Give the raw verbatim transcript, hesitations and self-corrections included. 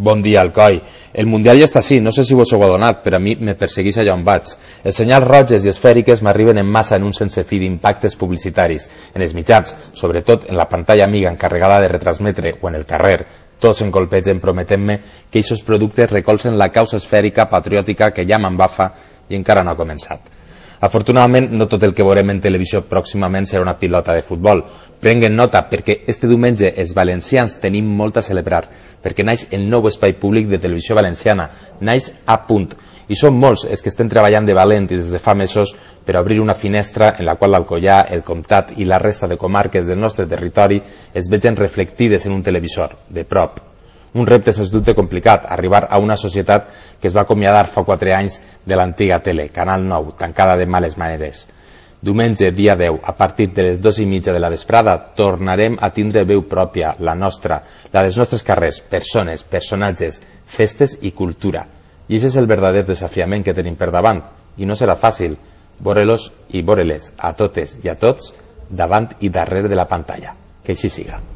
Bon dia, Alcoi. El Mundial ja està així, no sé si vos ho heu adonat, però a mi me persegueix allà on vaig. Els senyals roges i esfèriques m'arriben en massa en un sense fi d'impactes publicitaris, en els mitjans, sobretot en la pantalla amiga encarregada de retransmetre o en el carrer. Tots en colpegen prometent-me que aquests productes recolzen la causa esfèrica patriòtica que ja m'embafa i encara no ha començat. Afortunadament, no tot el que veurem en televisió pròximament serà una pilota de futbol. Prenguen nota perquè este diumenge els valencians tenim molt a celebrar, perquè naix el nou espai públic de televisió valenciana, naix a punt. I són molts els que estem treballant de valent i des de fa mesos per obrir una finestra en la qual l'Alcoià, el Comtat i la resta de comarques del nostre territori es vegen reflectides en un televisor, de prop. Un repte, sens dubte, complicat, arribar a una societat que es va acomiadar fa quatre anys de l'antiga tele, Canal nou, tancada de males maneres. Diumenge, dia deu, a partir de les dues i mitja de la vesprada, tornarem a tindre veu pròpia, la nostra, la dels nostres carrers, persones, personatges, festes i cultura. I aquest és el verdader desafiament que tenim per davant, i no serà fàcil, veure-los i veure-les a totes i a tots davant i darrere de la pantalla. Que així siga.